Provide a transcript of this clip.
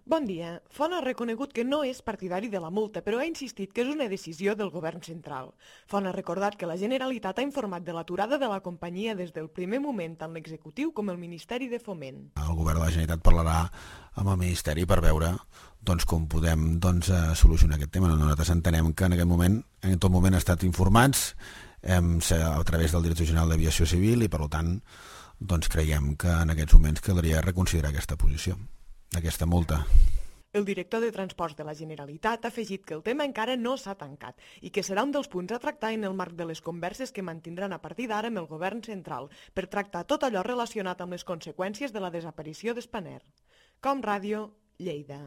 Bon dia. Font ha reconegut que no és partidari de la multa, però ha insistit que és una decisió del govern central. Font ha recordat que la Generalitat ha informat de l'aturada de la companyia des del primer moment tant l'executiu com el Ministeri de Foment. El govern de la Generalitat parlarà amb el Ministeri per veure com podem solucionar aquest tema. Nosaltres entenem que en aquest moment, en tot moment, han estat informats a través del Director General d'Aviació Civil i, per tant, creiem que en aquests moments caldria reconsiderar aquesta posició, aquesta multa. El director de Transports de la Generalitat ha afegit que el tema encara no s'ha tancat i que serà un dels punts a tractar en el marc de les converses que mantindran a partir d'ara amb el govern central per tractar tot allò relacionat amb les conseqüències de la desaparició d'Spanair. Com Ràdio, Lleida.